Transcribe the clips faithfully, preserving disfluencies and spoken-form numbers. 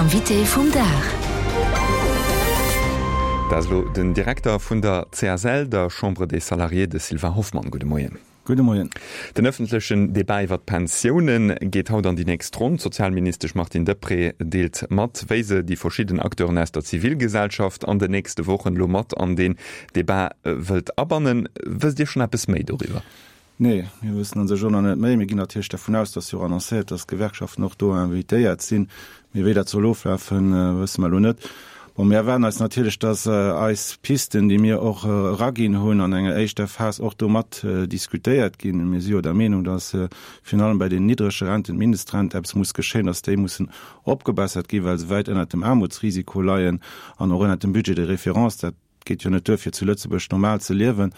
Invité vum Dag. Dat ass elo den Direkter vun der C S L, der Chambre des Salariés, de Sylvain Hoffmann. Gudde Moien. Gudde Moien. Den ëffentlechen Debat iwwer d'Pensioune geet haut an déi nächst Ronn. D'Sozialministesch Martine Deprez deelt mat, wéi se déi verschidden Acteuren aus der Zivilgesellschaft an den nächste Wochen elo mat an deen Debat wëllt abannen. Wësst Dir schonn eppes méi doriwwer? Nee, mir wëssen an sech och nach net méi. Mir ginn natierlech dervun aus, dass jo och annoncéiert, dass d'Gewerkschaften och do invitéiert sinn. Mee wéi dat soll oflafen, wësse mer elo net. Bon, mir erwaarden eis natierlech, dass eis Pisten, déi mir och eraginn hunn an enger éischter Phas, och do mat diskutéiert ginn. Mir si jo der Meenung, dass virun allem bei den niddrege Renten, d'Mindestrent, eppes muss geschéien, dass déi mussen opgebessert ginn, well se wäit ënnert dem Aarmutsrisiko leien an och ënnert dem Budget de référence. Dat geet jo net duer, fir zu Lëtzebuerg normal ze liewen.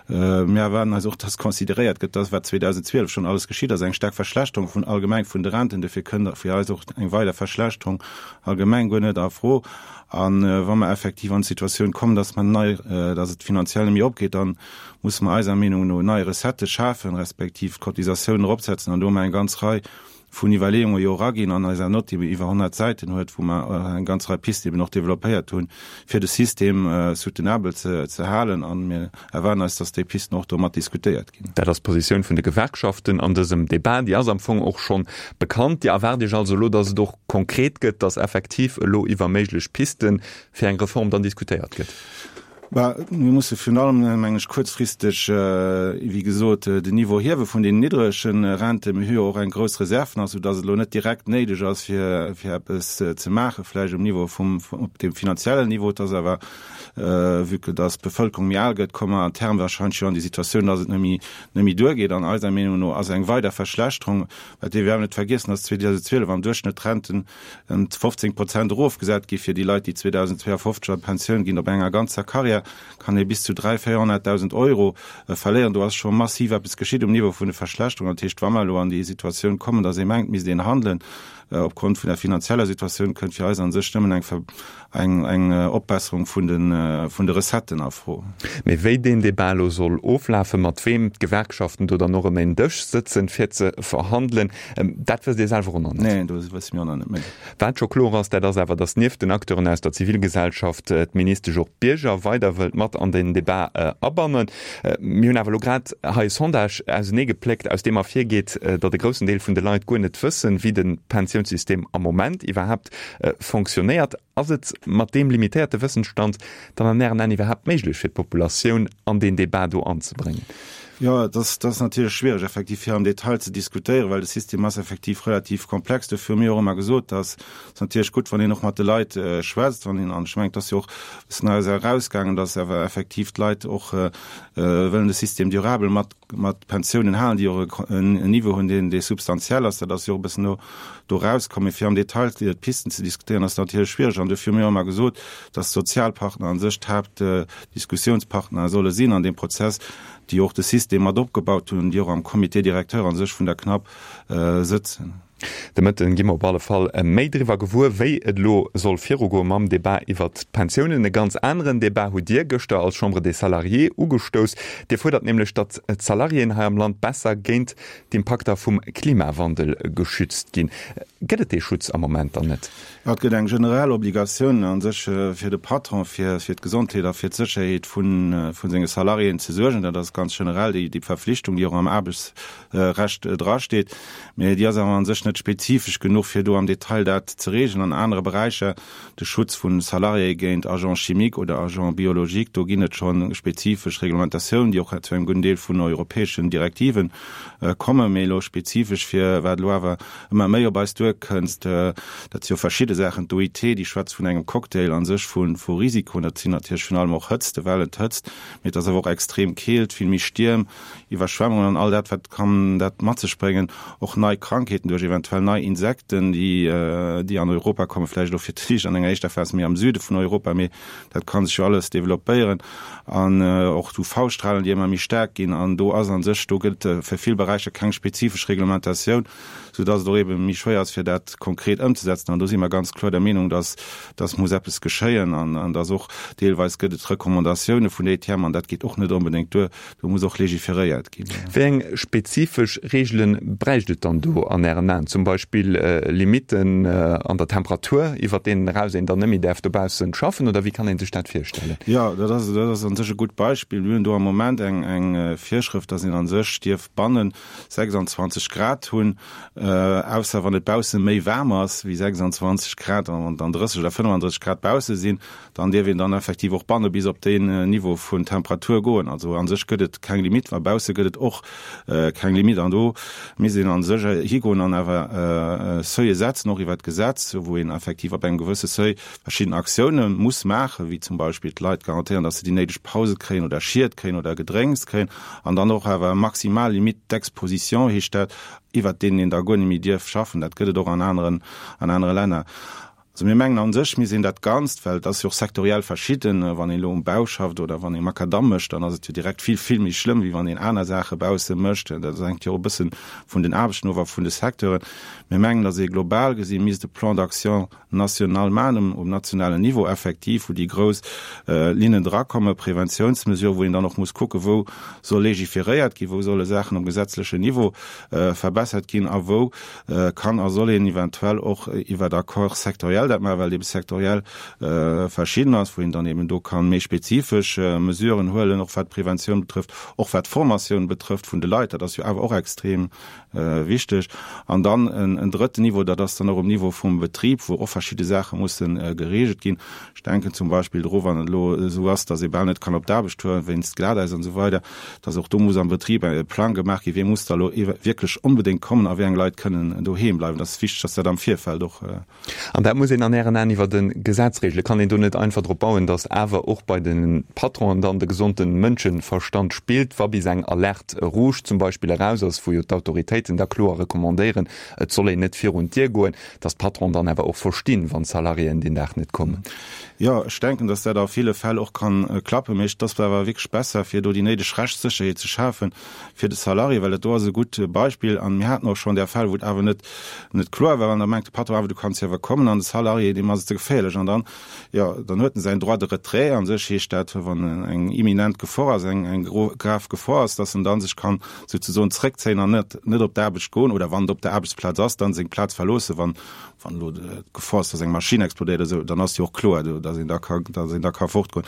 Mir erwaarden eis och, dass consideréiert gëtt, dass wat zweedausendzwielef schonn alles geschitt ass, eng staark Verschlechterung vun allgemeng vun de Renten, dofir kënnt fir eis och eng weider Verschlechterung allgemeng guer net a Fro. A wa mer effektiv an d'Situatioun kommen, dass mer nei, dass et finanziell net méi opgeet, dann musse mer eiser Meenung no nei Recettë schafen, respektiv d'Cotisatiounen eropsetzen. An do hu mer eng ganz Rei vun Iwwerleeunge jo eraginn an eiser Note, déi iwwer honnert Säiten huet, wou mer eng ganz Rei Pisten eben och developpéiert hunn, fir de System soutenabel ze ze halen. A mir erwaarden eis, dass déi Pisten och do mat diskutéiert ginn. Dat ass d'Positioun vun de Gewerkschaften an dësem Debat. Déi ass am Fong och schonn bekannt. Dir erwaart Iech also elo, dass et och konkret gëtt, dass effektiv elo iwwer méiglech Pisten fir eng Reform dann diskutéiert gëtt? Bah, mir musse virun allem, mengen ech, kuerzfristeg, wéi gesot, den Niveau hiewe vun den niddrege Renten. Mir hu jo och eng grouss Reserv nach, soudass et elo net direkt néideg ass, fir, fir eppes ze maachen, vläicht um Niveau vum, op dem finanziellen Niveau. Et ass awer, vue que dass d'Bevëlkerung méi al gëtt, komme mer à terme wahrscheinlech jo an déi Situatioun, dass et net méi, net méi duergeet. An eiser Meenung no ass eng weider Verschlechterung, well dierf awer net vergiessen, dass zweedausendzwielef am Duerchschnëtt d'Renten ëm fofzéng Prozent erofgesat gi fir déi Leit, déi zweedausendzweeafofzeg an d'Pensioun ginn. Op enger ganzer Karriär kann ee bis zu dräi, véierhonnertdausend Euro verléieren. Do ass scho massiv eppes geschitt um Niveau vun de Verschlechterungen. Dat heescht, wa mer elo an déi Situatioun kommen, datt ee mengt, misst een handelen opgrond vun der finanzieller Situatioun, kënnt fir eis a sech nëmmen eng eng Opbesserung vun de vun de Recetten a Fro. Mee wéi deen Debat elo soll oflafen, mat weem d'Gewerkschaften do dann och ëm een Dësch sëtzen, fir ze verhandelen, dat wësst Dir selwer och nach net? Neen, do wësse mir och nach net méi. Wat scho kloer ass, dat ass awer, datt nieft den Acteuren aus der Zivilgesellschaft d'Ministesch och d'Bierger weider wëllt mat an den Debat abannen. Mir hunn awer elo grad hei e Sondage auseneegepléckt, aus deem ervirgeet, datt e groussen Deel vun de Leit guer net wëssen, wéi de Pensiounssystem am Moment iwwerhaapt fonctionnéiert. Ass et mat deem limitéierte Wëssensstand dann an Ären Aen iwwerhaapt méiglech, fir d'Populatioun an deen Debat do anzebréngen? Jo, et ass, et ass natierlech schwiereg, effektiv fir am Detail ze diskutéieren, well de System ass effektiv relativ komplex. Dofir hu mir och ëmmer gesot, dass et natierlech gutt, wann een och mat de Leit schwätzt, wann een, an ech mengen, et ass jo och e bëssen eis erausgaangen, dass awer effektiv d'Leit och wëllen de System durabel mat, mat Pensiounen halen, déi och en Niveau hunn, deen, dee substantiell ass. Dat ass jo och e bëssen do, do erauskomm. Mee fir am Detail d'Pisten ze diskutéieren, ass natierlech schwiereg. An dofir hu mir och ëmmer gesot, dass d'Sozialpartner a sech d'Haaptdiskussiounspartner solle sinn an deem Prozess, déi och de System mat opgebaut hunn, déi och am Comité directeur a sech vun der CNAP sëtzen. De Mëtten gi mer op alle Fall méi driwwer gewuer, wéi et elo soll virugoe mam Debat iwwert d'Pensiounen. E ganz aneren Debat hutt Dir gëschter als Chambre des Salariés ugestouss. Dir fuerdert nämlech, datt d'Salariéen hei am Land besser géint d'Impakter vum Klimawandel geschützt ginn. Gëtt et dee Schutz am Moment dann net? Jo, et gëtt eng generell Obligatioun a sech fir de Patron, fir fir d'Gesondheet a fir d'Sécherheet vu vu senge Salariéen ze suergen. Dat ass ganz generell déi déi Verflichtung, déi och am Aarbechtsrecht drasteet. Mee déi ass awer a sech net spezifesch genuch, fir do am Detail dat ze regeln. An anere Beräicher, de Schutz vu Salariéë géint Agents chimiques oder Agents biologiques, do ginn et scho spezifesch Reglementatiounen, déi och zu engem gudden Deel vun europäeschen Direktiven kommen. Mee elo spezifesch fir wat elo awer ëmmer méi op eis duerkënnst, dat si jo verschidde Saachen. D'O I T, déi schwätzt vun engem Cocktail a sech vu vu Risikoen. Dat sinn natierlech virun allem och Hëtztwellen, d'Hëtzt, mee et ass awer och extrem Keelt, vill méi Stierm, Iwwerschwemmungen an all dat, wat kann dat mat sech bréngen, och nei Krankheeten duerch eventuell nei Insekten, déi déi an Europa kommen, vläicht elo fir d'éischt an enger éischter Phas méi am Süde vun Europa, mee dat ka sech jo alles developpéieren, an och d'U V-Strahlen, déi ëmmer méi staark ginn. An do ass a sech, do gëtt fir vill Beräicher keng spezifesch Reglementatioun, soudass et och eebe méi schwéier ass, fir dat dat konkret ëmzesetzen. An do si mer ganz kloer der Meenung, dass dass muss eppes geschéien an an dass och deelweis gëtt et Recommandatioune vun der E T M an dat geet och net onbedéngt duer, do muss och legiferéiert ginn. Wéi eng spezifesch Reegele bräicht et dann do an Ären Aen? Zum Beispill Limitten an der Temperatur, iwwert deenen eraus een dann net méi däerf dobaussen schaffen, oder wéi kann ee sech dat virstellen? Jo, dat ass, dat ass a sech e gutt Beispill. Mir hunn do am Moment eng, eng Virschrëft, dass een a sech dierf bannen sechsanzwanzeg Grad hunn, ausser wann et bausse méi waarm ass wéi sechsanzwanzeg Grad, an wann dann drësseg oder fënnefandrësseg Grad bausse sinn, dann dierf een dann effektiv och banne bis op deen Niveau vun Temperatur goen. Also a sech gëtt et keng Limitt, well bausse gëtt et och keng Limitt. An do misst een a sech higoen an awer Seuile setzen, och iwwert d'Gesetz, wou een effektiv ab engem gewësse Seuil verschidden Aktioune muss maachen, wéi zum Beispill d'Leit garantéieren, datt se déi néideg Pause kréien oder Schied kréien oder Gedrénks kréien, an dann och awer maximal Limite d'exposition heescht dat, iwwert deenen een da guer net méi dierf schaffen. Dat gëtt et och an aneren, an anere Länner. Also mir mengen a sech misst een dat Ganzt, well et ass jo och sektoriell verschidden, wann een elo um Bau schafft oder wann ee Makadamm mécht, dann ass et jo direkt vill, vill méi schlëmm, wéi wann een aner Saache bausse mécht. Dat hänkt jo och e bësse vun den Aarbechten of a vun de Secteuren. Mir mengen, datt ee global gesi misst e Plan d'action national maachen, um nationalen Niveau effektiv, wou déi grouss Linnen drakommen, Preventiounsmesuren, wou een dann och muss kucken, wou soll legiferéiert ginn, wou solle Saachen um gesetzlechen Niveau verbessert ginn a wou kann a soll een eventuell och iwwer Accords sectoriels dat maachen, well et ebe sektoriell verschidden ass, wou een dann eben do ka méi spezifesch Mesuren huelen, och wat d'Preventioun betrëfft, och wat d'Formatioun betrëfft vun de Leit. Dat ass jo awer och extrem wichteg. An dann en drëtten Niveau, dat ass dann och um Niveau vum Betrib, wou och verschidde Saache musse geregelt ginn. Ech denken zum Beispill dru wann et elo esou ass, datt ee bal net kann op d'Aarbecht fueren wéinst Glatäis an esou weider, datt och do muss am Betrib e Plang gemaach ginn, wie muss da elo wierklech onbedéngt kommen a wéi eng Leit kënnen doheem bleiwen. Dat ass wichteg, datt dat am Virfeld och. An dat muss een an Ären Aen iwwert e Gesetz regelen. Kann een do net einfach drop bauen, datt awer och bei de Patronen dann de gesonde Mënscheverstand spillt, wa bis eng Alerte rouge zum Beispill eraus ass, wou jo d'Autoritéiten da kloer recommandéieren, et soll een net virun d'Dier goen, datt d'Patronen dann awer och verstinn, wann d'Salariéen deen Dag net kommen? Jo, ech denken, datt dat a ville Fäll och kann klappen, mee et ass awer wierklech besser, fir do déi néideg Rechtssécherheet ze schafen fir de Salarié, well dat do ass e gutt Beispill. An mir haten och schonn där Fäll, wou et awer net net kloer war, an da mengt de Patron awer, du kanns jo awer kommen, an de Salarié, deem ass et ze geféierlech, an dann, jo, dann huet en säin Droit de retrait. A sech heescht dat, wann eng imminent Gefor ass, eng eng grav Gefor ass, datt en dann sech kann souzesoen zréckzéien an net net op d'Aarbecht goen, oder wann et op der Aarbechtsplaz ass, dann seng Plaz verloossen, wann wann elo d'Gefor ass, datt eng Maschinn explodéiert oder esou, dann ass jo och kloer, datt een da ka datt een da ka fortgoen.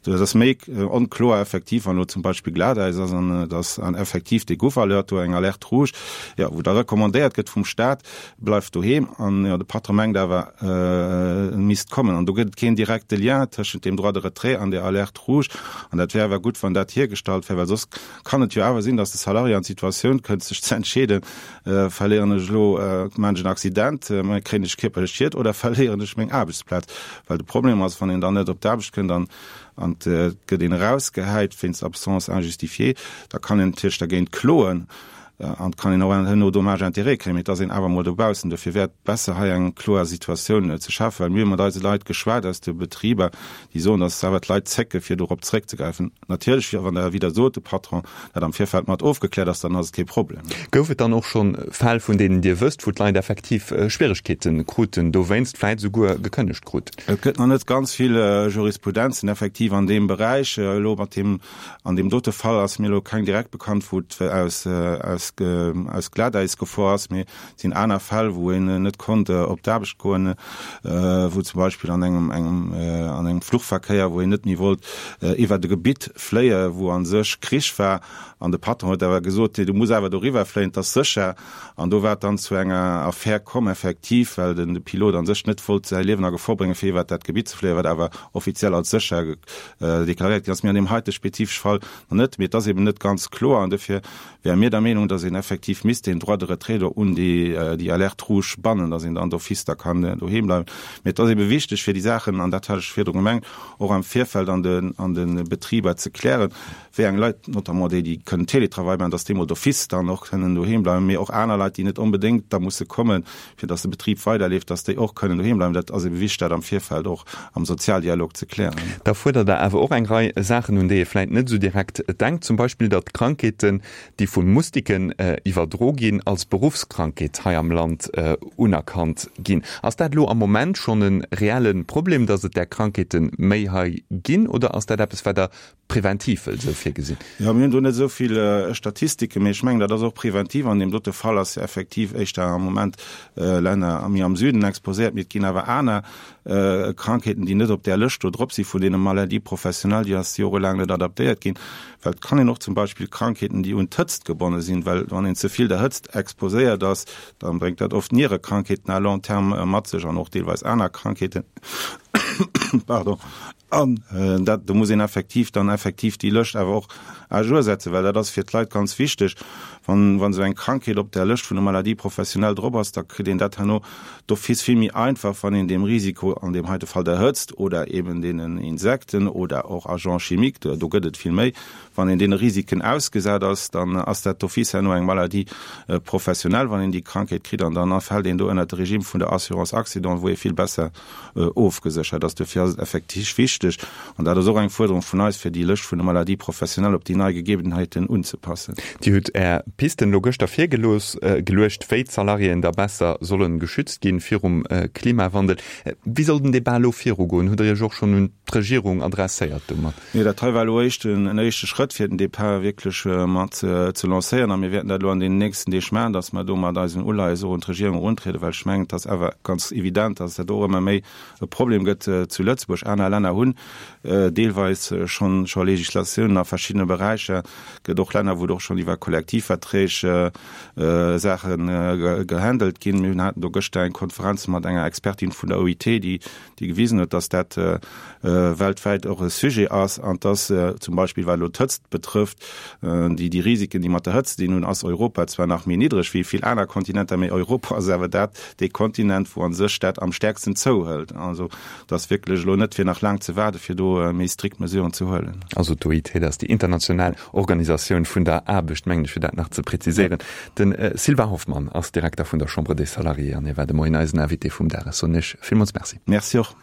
Dat ass méi onkloer effektiv, wann elo zum Beispill Glatäis ass an datt an effektiv dee Gouf Alert do, eng Alerte rouge, jo, wou da recommandéiert gëtt vum Staat, Bleift doheem, an jo, de Patron mengt awer, e misst kommen. An do gëtt et keen direkte Lien tëschent deem Droit de retrait an der Alerte rouge. An dat wär awer gutt, wann dat hiergestallt wär, well soss kann et jo awer sinn, datt de Salarié an d'Situatioun kënnt, sech ze entscheeden, Verléieren ech elo, maachen ech en Accident, kréien ech kierperlech Schied oder verléieren ech meng Aarbechtsplaz? Well de Problem ass, wann een dann net op d'Aarbecht kënnt an an et gëtt een erausgehäit wéinst Absence injustifiée, da kann een natierlech dergéint kloen. An et kann een och herno Dommages-intérêts kréien, mee et ass een awer emol dobaussen. Dofir wär et besser, hei eng kloer Situatioun ze schafen, well mir hu mat eise Leit geschwat aus de Betriber, déi soen, datt awer d'Leit zécke fir dorop zréckzegräifen. Natierlech, wann Der, wéi Der sot, de Patron dat am Virfeld mat ofgekläert ass, dann ass et kee Problem. Gouf et dann och scho Fäll, vun deenen Dir wësst, wou d'Leit effektiv Schwieregkeete kruten dowéinst, vläit esouguer gekënnegt kruten? Et gëtt nach net ganz vill Jurisprudenzen effektiv an deem Beräich. Elo mat deem An deem dote Fall ass mir elo keng direkt bekannt, wou et aus aus aus Glatäisgefor ass, mee et sinn aner Fäll, wou een net konnt op d'Aarbecht goen, wou zum Beispill an engem engem an engem Fluchverkéier, wou een net méi wollt iwwert e Gebitt fléie wou a sech Krich war, an de Patron huet awer gesot, nee, du muss awer doriwwer fléien, et ass sécher. An do war et dann zu enger Affär komm effektiv, well den de Pilot a sech net wollt säi Liewen a Gefor bréngen, fir iwwert dat Gebitt ze fléien, wat awer offiziell als sécher deklaréiert ginn ass. Mee an deem heite spezifesche Fall nach net. Mee et ass eben net ganz kloer an dofir wäre mir der Meenung, dass een effektiv misst deen Droit de retrait do un déi Alerte rouge bannen, dass een dann d'office da kann doheem bleiwen. Mee et ass ebe wichteg, fir déi Saachen, an dat hat ech virdru gemengt, och am Virfeld an de an de Betriber ze klären, wéi eng Leit, notamment déi, déi kënnen Télétravail maachen, dass déi mol d'office dann och kënnen doheem bleiwen, mee och aner Leit, déi net onbedéngt da musse kommen, fir dass de Betrib weiderleeft, dass déi och kënnen doheem bleiwen. Dat ass ebe wichteg, dat am Virfeld och am Sozialdialog ze klären. Da fuerdert Der awer och eng Rei Saachen, un déi ee vläit net esou direkt denkt, zum Beispill, datt Krankheeten, déi vu Mustike Salariéen iwwerdro ginn, als Beruffskrankheet hei am Land unerkannt ginn. Ass dat elo am Moment schonn e reelle Problem, datt et där Krankheete méi hei ginn, oder ass dat eppes, wat Der preventiv wëllt esou virgesinn? Jo, mir hunn do net esou vill Statistiken, mee ech mengen, dat ass och preventiv. An deem dote Fall ass jo effektiv éischter am Moment Länner méi am Süden exposéiert, mee et ginn awer aner Krankheeten, déi net op där Lëscht do drop si vun deene Maladies professionnelles, déi ass jorelaang net adaptéiert ginn. Well et kann een och zum Beispill Krankheeten, déi un d'Hëtzt gebonne sinn, well wann een ze vill der Hëtzt exposéiert ass, da bréngt dat oft Nierekrankheeten à long terme mat sech an och deelweis aner Krankheeten. Pardon. An dat, do muss een effektiv dann effektiv déi Lëscht awer och à jour setzen, well dat ass fir d'Leit ganz wichteg. Wann, wann esou eng Krankheet op där Lëscht vun der Maladie professionnelle drop ass, da kritt een dat herno d'office vill méi einfach, wann een deem Risiko, an deem heite Fall der Hëtzt oder eben deenen Insekten oder och Agents chimiques, do, do gëtt et vill méi, wann een deene Risiken ausgesat ass, dann ass dat d'office herno eng Maladie professionnelle, wann een déi Krankheet kritt, an dann fält een do ënnert de Regime vun der Assurance accident, wou ee vill besser ofgeséchert ass. Dofir ass et effektiv wichteg, an dat ass och eng Fuerderung vun eis, fir déi Lëscht vun de Maladies professionnelles op déi nei Gegebenheiten unzepassen. Dir hutt Är Pisten elo gëschter virgelooss, geluecht, wéi d'Salariéen da besser sollen geschützt ginn virum Klimawandel. Wéi soll den Debat elo virugoen? Hutt Der Iech och schonn un d'Regierung adresséiert domat? Nee, dat hei war elo éischt en éischte Schrëtt, fir den Debat wierklech mat ze lancéieren. A mir wäerten dat elo an deenen nächsten Deeg maachen, dass mer do mat eisen Uleies och un d'Regierung eruntrieden, well ech mengen, et ass awer ganz evident, dass dat och ëmmer méi e Problem gëtt zu Lëtzebuerg. Aner Länner hunn deelweis schonn scho Législatiounen a verschiddene Beräicher. Et gëtt och Länner, wou et och schonn iwwer Kollektivverträg Saache gehandelt ginn. Mir haten do gëschter eng Konferenz mat enger Expertin vun der O I T, déi déi gewisen huet, dass dat weltwäit och e Sujet ass an dass zum Beispill, wat elo d'Hëtzt betrëfft, déi déi Risiken, déi mat der Hëtzt dinn hunn, ass Europa zwar nach méi niddreg wéi vill aner Kontinenter, mee Europa ass awer dat dee Kontinent, wou a sech dat am stäerksten zouhëlt. Also et ass wierklech elo net fir nach laang ze waarde fir do méi strikt Mesuren ze huelen. Also d'O I T, dat ass déi international Organisatioun vun der Aarbecht, mengen ech, fir dat nach ze präziséieren. De Sylvain Hoffmann ass Direkter vun der Chambre des Salariés an hie war de Moien eisen Invité vum Dag. Ech soen Iech villmools Merci. Merci och.